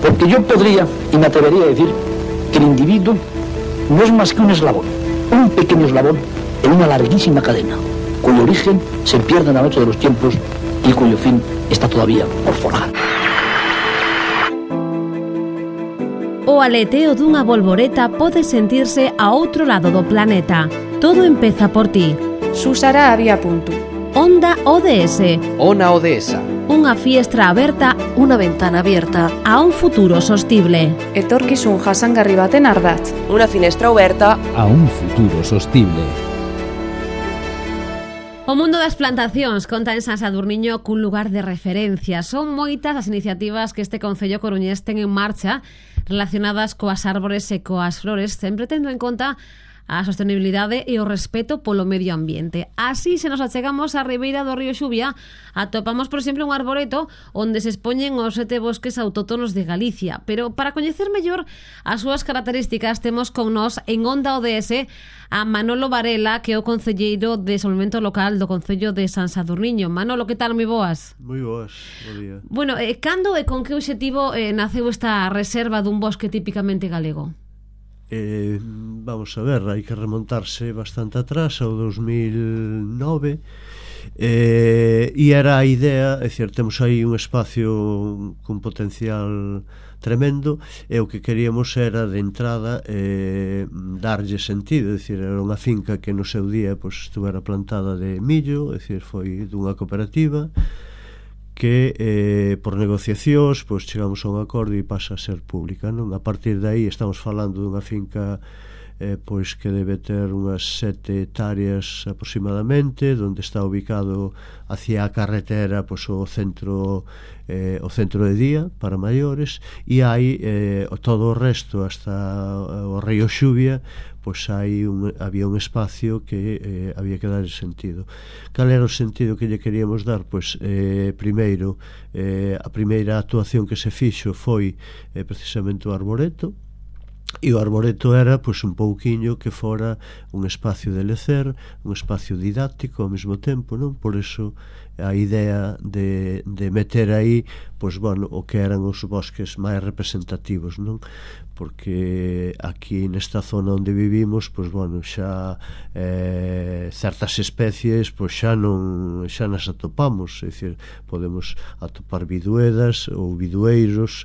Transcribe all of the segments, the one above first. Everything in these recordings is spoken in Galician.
Porque yo podría, y me atrevería a decir, que el individuo no es más que un eslabón, un pequeño eslabón en una larguísima cadena, cuyo origen se pierde en la noche de los tiempos y cuyo fin está todavía por forjar. O aleteo dunha bolboreta pode sentirse a outro lado do planeta. Todo empeza por ti. Susara había punto. Onda ODS. Ona ODS. Unha fiestra aberta, unha ventana abierta a un futuro sostible. Etorkizun jasangarri baten ardatz. Unha finestra aberta a un futuro sostible. O mundo das plantacións conta en San Sadurniño cun lugar de referencia. Son moitas as iniciativas que este concello coruñés ten en marcha relacionadas coas árbores e coas flores, sempre tendo en conta a sostenibilidade e o respeto polo medio ambiente. Así, se nos achegamos á ribeira do río Xuvia, atopamos, por exemplo, un arboreto onde se expoñen os 7 bosques autóctonos de Galicia. Pero para coñecer mellor as súas características, temos con nós en Onda ODS a Manolo Varela, que é o concelleiro de Desenvolvemento Local do Concello de San Sadurniño. Manolo, que tal? Moi boas. Moi boas, bo día. Bueno, cando e con que obxectivo naceu esta reserva dun bosque típicamente galego? Vamos a ver, hai que remontarse bastante atrás, ao 2009, e era a idea, é dicir, temos aí un espacio con potencial tremendo, e o que queríamos era de entrada darlle sentido, é dicir, era unha finca que no seu día pues, estuvera plantada de millo, é dicir, foi dunha cooperativa que por negociacións pues, chegamos a un acordo e pasa a ser pública, non? A partir de aí estamos falando dunha finca pois que debe ter unhas 7 hectáreas aproximadamente, onde está ubicado hacia a carretera pois, o centro de día para maiores, e hai todo o resto hasta o río Xuvia, pois había un espacio que había que dar sentido. Cal era o sentido que lle queríamos dar? Pois primeiro, a primeira actuación que se fixo foi precisamente o arboreto, e o arboreto era pois un pouquiño que fora un espacio de lecer, un espacio didáctico ao mesmo tempo, non? Por eso a idea de meter aí pois bueno, o que eran os bosques máis representativos, non? Porque aquí nesta zona onde vivimos, pois bueno, xa certas especies pois xa nas atopamos, é dicir, podemos atopar biduedas ou bidueiros,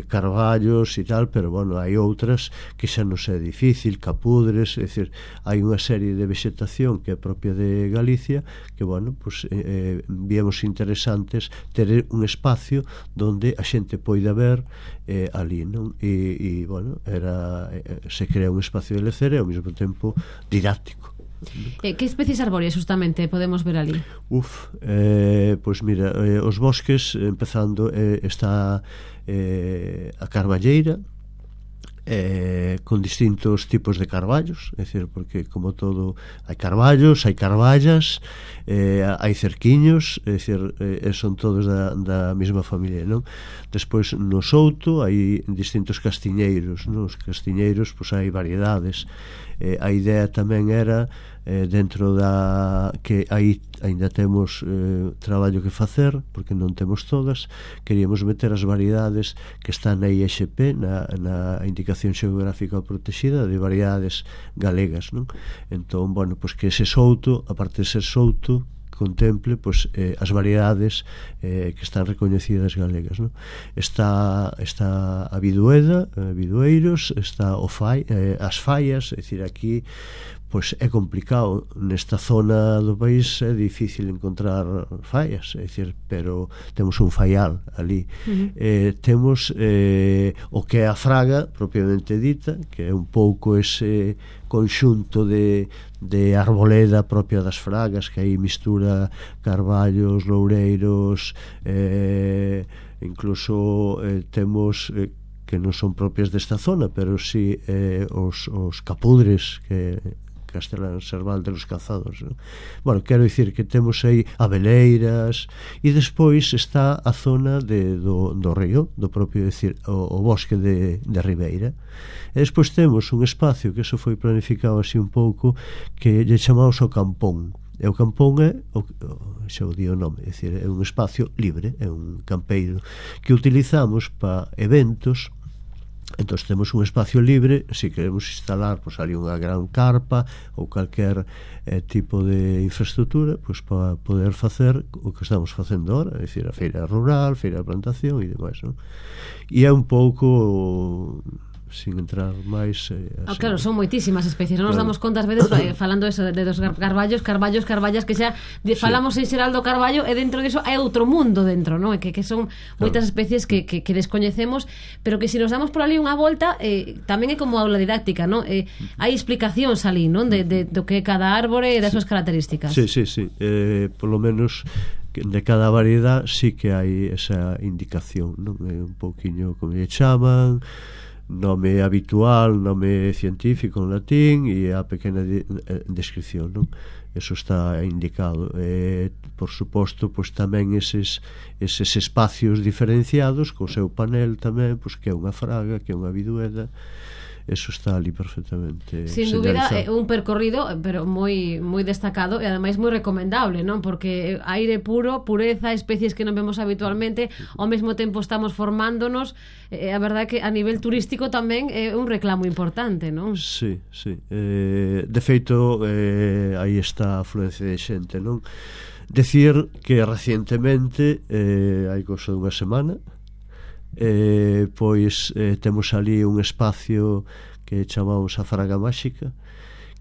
carballos e tal, pero bueno, hai outras que xa non é difícil, capudres, é dicir, hai unha serie de vegetación que é propia de Galicia que, bueno, pois víamos interesantes ter un espacio donde a xente poida ver ali, non? E bueno, se crea un espacio de lecer e ao mesmo tempo didáctico. Que especies arbóreas justamente podemos ver ali? Pois mira, os bosques, empezando, está a carballeira, con distintos tipos de carballos, é dicir, porque como todo hai carballos, hai carballas, hai cerquiños, é dicir, son todos da mesma familia, non? Despois no souto hai distintos castiñeiros, non? Os castiñeiros, pois hai variedades. A idea tamén era dentro da que aí ainda temos traballo que facer, porque non temos todas, queríamos meter as variedades que están na ISP, na Indicación Xeográfica Protexida de variedades galegas, non? Entón, bueno, pois que ese souto, aparte de ser souto, contemple pois, as variedades que están recoñecidas galegas, non? Está a bidueda, bidueiros, está as fallas, é dicir, aquí pois é complicado, nesta zona do país é difícil encontrar fallas, é dicir, pero temos un faial ali. Temos o que é a fraga propiamente dita, que é un pouco ese conxunto de arboleda propia das fragas, que aí mistura carballos, loureiros, incluso temos que non son propias desta zona, pero si os capudres que Castelán Serval de los Cazados, non? Bueno, quero dicir que temos aí abeleiras, e despois está a zona do río, do propio, decir, o bosque de Ribeira, e despois temos un espacio que eso foi planificado así un pouco, que lle chamamos o Campón, E o campón é xa o di o nome, é dicir, é un espacio libre, é un campeiro que utilizamos para eventos. Entón temos un espacio libre, se queremos instalar pois, ali unha gran carpa ou calquer tipo de infraestructura, pois para poder facer o que estamos facendo ahora, é dicir, a feira rural, feira de plantación e demais, non? E é un pouco, sin entrar máis claro, son moitísimas especies, non nos damos conta ás veces falando eso, de dos carballas que xa falamos en xeral do carballo e dentro diso hai outro mundo dentro, non? Que son moitas especies que descoñecemos, pero que se nos damos por ali unha volta tamén é como aula didáctica, non? Hai explicacións ali, non? Do que é cada árbore e das súas características. Sí, por lo menos de cada variedade sí que hai esa indicación, non? É un pouquiño como lle chaman, nome habitual, nome científico en latín e a pequena descripción, non? Eso está indicado. Por suposto, pois tamén eses espacios diferenciados co seu panel tamén, pois que é unha fraga, que é unha vidueda. Eso está ali perfectamente sin dúbida, é un percorrido pero moi destacado e ademais moi recomendable, non? Porque aire puro, pureza, especies que non vemos habitualmente, ao mesmo tempo estamos formándonos, a verdade que a nivel turístico tamén é un reclamo importante, non? Sí. De feito, aí está a afluencia de xente, non? Decir que recientemente, hai cousa dunha semana, pois temos ali un espacio que chamamos a Fraga Máxica,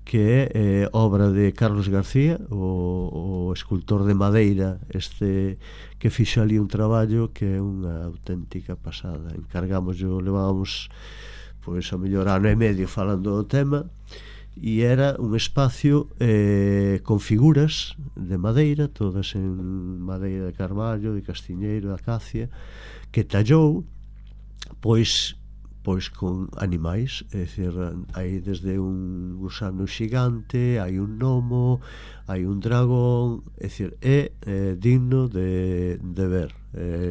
que é obra de Carlos García, o escultor de madeira que fixo ali un traballo que é unha auténtica pasada. Levábamos pois a mellor ano e medio falando do tema, e era un espacio con figuras de madeira, todas en madeira de carballo, de castiñeiro, de acacia, que tallou pois con animais, é dicir, hai desde un gusano xigante, hai un gnomo, hai un dragón, é dicir, é digno de ver.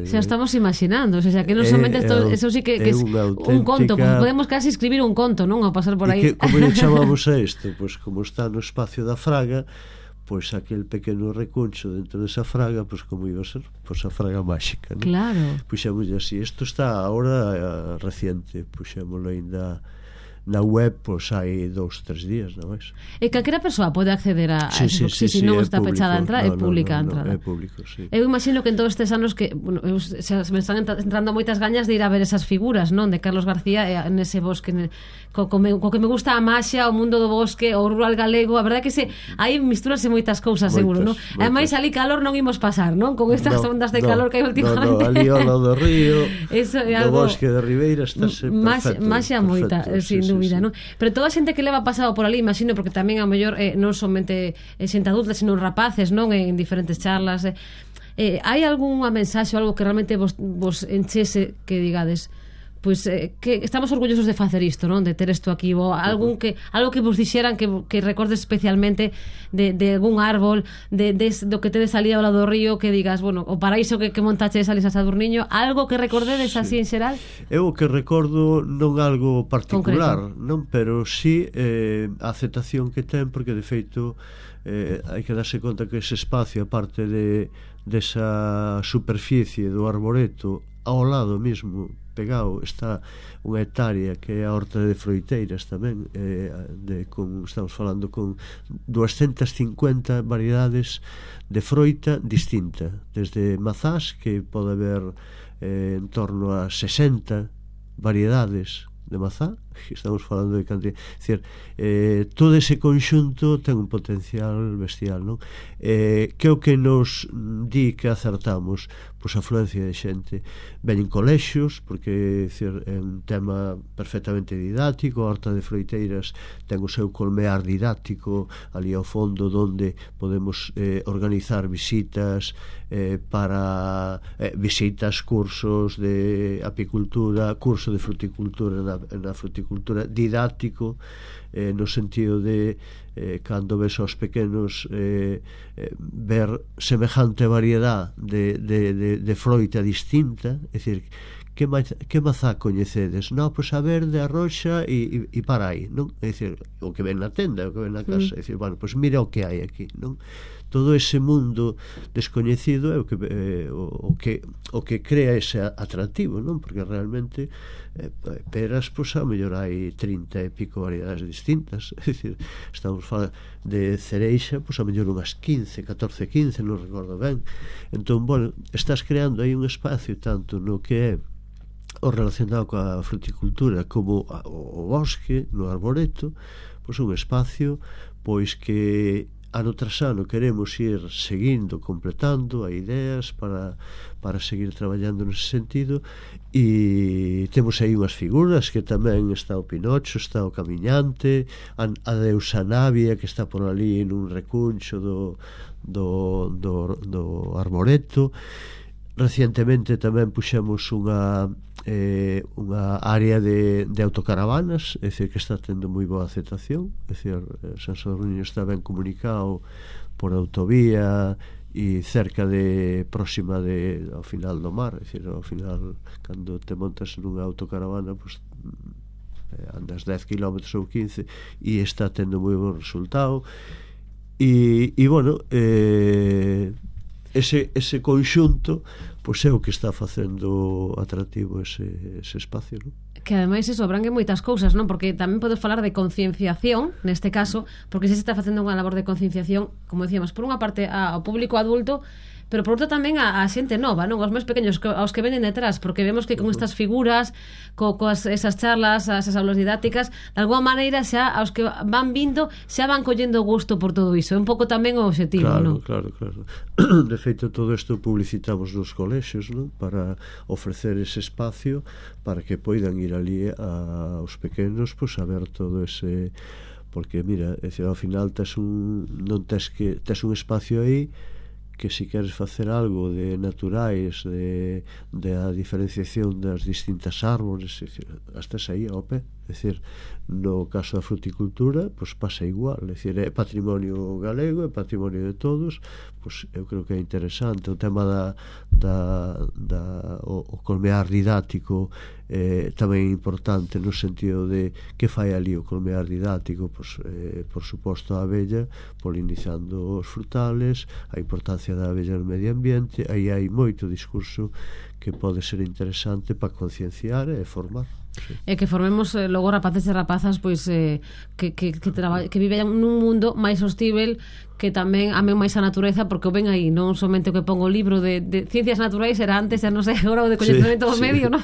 Xa estamos imaginando, o sea, que non somente eso sí que é un conto, podemos casi escribir un conto, non? Ao pasar por aí. Como lle chamamos a isto? Pois como está no espacio da fraga, pois aquel pequeno recuncho dentro desa fraga, pois como iba a ser, pois a Fraga Máxica, non? Claro. Puxémoslle así, isto está agora reciente, puxémoslo ainda na web, pois hai 2-3 días, non máis. E calquera persoa pode acceder a eso, se non está pechada a entrada, é pública a entrada. É público, sí. Eu imagino que en todos estes anos que, bueno, se me están entrando moitas gañas de ir a ver esas figuras, non? De Carlos García nese bosque, co que me gusta a maxia, o mundo do bosque, o rural galego, a verdade que aí mistúrase moitas cousas, seguro, non? Ademais, ali calor non imos pasar, non? Con estas ondas de calor que hai últimamente. Ali ao lado do río, do bosque de Ribeira, estáse perfecto. Maxia moita, sin dúbida, non? Pero toda a xente que leva pasado por ali, imagino, porque tamén a mellor non somente xente adulta, sino rapaces, non? En diferentes charlas. Hai algunha mensaxe ou algo que realmente vos enchese que digades, pois que estamos orgullosos de facer isto, non? De ter isto aquí, ou algo que vos dixeran que recordes especialmente de algún árbol, do que tedes ali ao lado do río, que digas, bueno, o paraíso que montaches ali a Sadurniño, algo que recordedes así en xeral? Eu o que recordo non algo particular, non, pero sí a aceptación que ten, porque de feito hai que darse conta que ese espacio, aparte desa superficie do arboreto, ao lado mesmo pegado está unha hectárea que é a horta de froiteiras tamén, estamos falando con 250 variedades de froita distinta, desde mazás, que pode haber en torno a 60 variedades de mazá, estamos falando de cantidad, é dicir, todo ese conxunto ten un potencial bestial, non? Que o que nos di que acertamos? Pois a afluencia de xente. Veñen colexios, porque é un tema perfectamente didáctico. A horta de froiteiras ten o seu colmear didáctico ali ao fondo, donde podemos organizar visitas para visitas, cursos de apicultura, curso de fruticultura na fruticultura didáctico, no sentido de cando ves aos pequenos ver semejante variedade de froita distinta, é dicir, que mazá coñecedes? Non, pois a verde, a roxa e para aí, non? É dicir, o que ven na tenda, o que ven na casa, é dicir, bueno, pois mira o que hai aquí, non? Todo ese mundo descoñecido é o que crea ese atractivo, non? Porque realmente peras, pois a mellor hai 30 e pico variedades distintas, é dicir, estamos falando de cereixa, pois a mellor unhas 15, 14, 15, non recordo ben. Entón, bueno, estás creando aí un espacio tanto no que é o relacionado coa fruticultura como o bosque, no arboreto, pois un espacio pois que ano tras ano queremos ir seguindo, completando a ideas para seguir traballando nese sentido, e temos aí unhas figuras que tamén está o Pinocho, está o Camiñante, a deusa Navia, que está por ali nun recuncho do arboreto. Recientemente tamén puxemos unha área de autocaravanas, é dicir, que está tendo moi boa aceptación, é dicir, San Sadurniño está ben comunicado por autovía e cerca de próxima ao final do mar, é dicir, ao final cando te montas nunha autocaravana, pues, andas 10 km ou 15 e está tendo moi bon resultado, e bueno, ese conxunto pois é o que está facendo atractivo ese espacio, non? Que ademais iso abrangue moitas cousas, non? Porque tamén podes falar de concienciación neste caso, porque se está facendo unha labor de concienciación, como decíamos, por unha parte ao público adulto, pero por outra tamén a xente nova, non? Aos máis pequenos, aos que venen detrás, porque vemos que con estas figuras, coas esas charlas, esas aulas didácticas, de alguma maneira xa aos que van vindo xa van collendo gusto por todo iso. É un pouco tamén o obxectivo, non? Claro. De feito, todo isto publicitamos nos colexios, non? Para ofrecer ese espacio para que poidan ir ali aos pequenos, pois a ver todo ese... Porque, mira, é dicir, ao final tes un espacio aí que se queres facer algo de naturais, de a diferenciación das distintas árbores, estás aí ao pé. É dicir, no caso da fruticultura, pois pasa igual, é dicir, é patrimonio galego, é patrimonio de todos, pois eu creo que é interesante o tema o colmear didáctico, tamén importante no sentido de que fai ali o colmear didáctico, pois, por suposto a abella polinizando os frutales, a importancia da abella no medio ambiente, aí hai moito discurso que pode ser interesante para concienciar e formar. Sí. E que formemos logo rapaces e rapazas pois que viven nun mundo máis hostível, que tamén amen máis a natureza, porque o ven aí, non somente o que pongo o libro de ciencias naturais era antes, non sei, agora o de coñecemento do medio, non?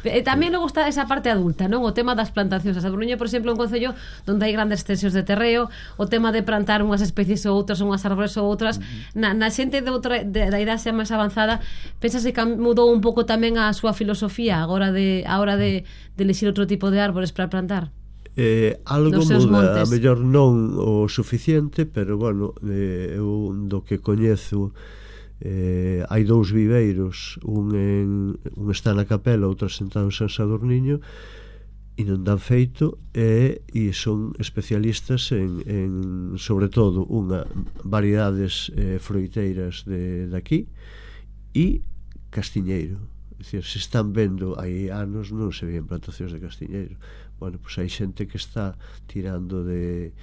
Tamén logo está esa parte adulta, non? O tema das plantacións. A Sadurniño, por exemplo, é un concello onde hai grandes extensións de terreo, o tema de plantar unhas especies ou outras, unhas árbores ou outras, na xente da idade xa máis avanzada, pensas que mudou un pouco tamén a súa filosofía agora de elixir outro tipo de árbores para plantar? Algo muda, a mellor non o suficiente, pero bueno, eu do que coñezo, hai dous viveiros, un está na Capela, outro sentado en San Sadurniño, e non dan feito, e son especialistas en sobre todo variedades froiteiras de aquí e castiñeiro. É dicir, se están vendo, hai anos non se veían plantacións de castiñeiro. Bueno, pois hai xente que está tirando de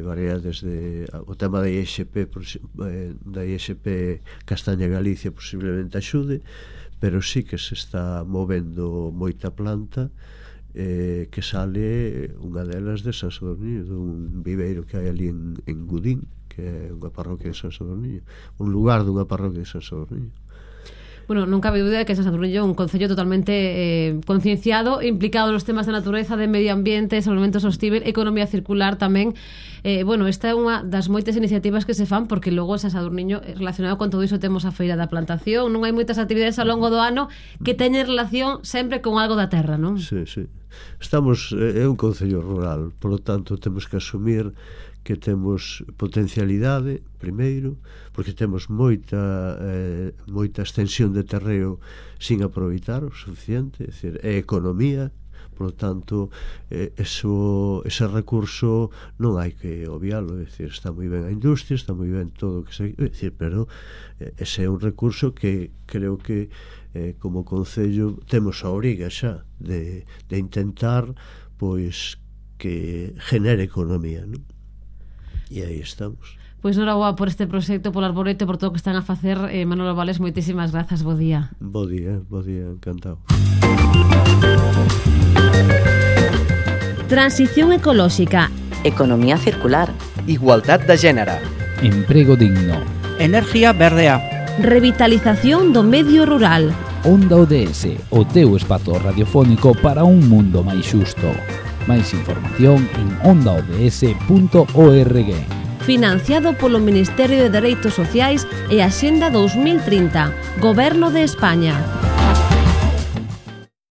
variedades o tema da ISP, da ISP Castaña Galicia posiblemente axude, pero sí que se está movendo moita planta, que sale unha delas de San Sadurniño, dun viveiro que hai ali en Gudín, que é unha parroquia de San Sadurniño, un lugar dunha parroquia de San Sadurniño. Bueno, non cabe dúbida que San Sadurniño é un concello totalmente concienciado, implicado nos temas de natureza, de medio ambiente, solvento sostível, economía circular tamén. Bueno, esta é unha das moitas iniciativas que se fan, porque logo San Sadurniño, relacionado con todo iso, temos a Feira da Plantación, non hai moitas actividades ao longo do ano que teñen relación sempre con algo da terra, non? Sí. É un concello rural, por lo tanto temos que asumir que temos potencialidade, primeiro, porque temos moita extensión de terreo sin aproveitar o suficiente, é dicir, é economía, Por lo tanto, ese recurso non hai que obviarlo. É dicir, está moi ben a industria, está moi ben todo o que se... É dicir, pero ese é un recurso que creo que como Concello temos a obriga xa de intentar pois que genere economía, non? E aí estamos. Pois noraboa por este proxecto, polo arboreto, por todo o que están a facer. Manolo Vales, moitísimas grazas, bo día. Bo día, encantado. Transición ecolóxica, economía circular, igualdad de género, emprego digno, energía verdea, revitalización do medio rural. Onda ODS, o teu espazo radiofónico para un mundo máis xusto. Máis información en ondaods.org. Financiado polo Ministerio de Dereitos Sociais e Axenda 2030, Goberno de España.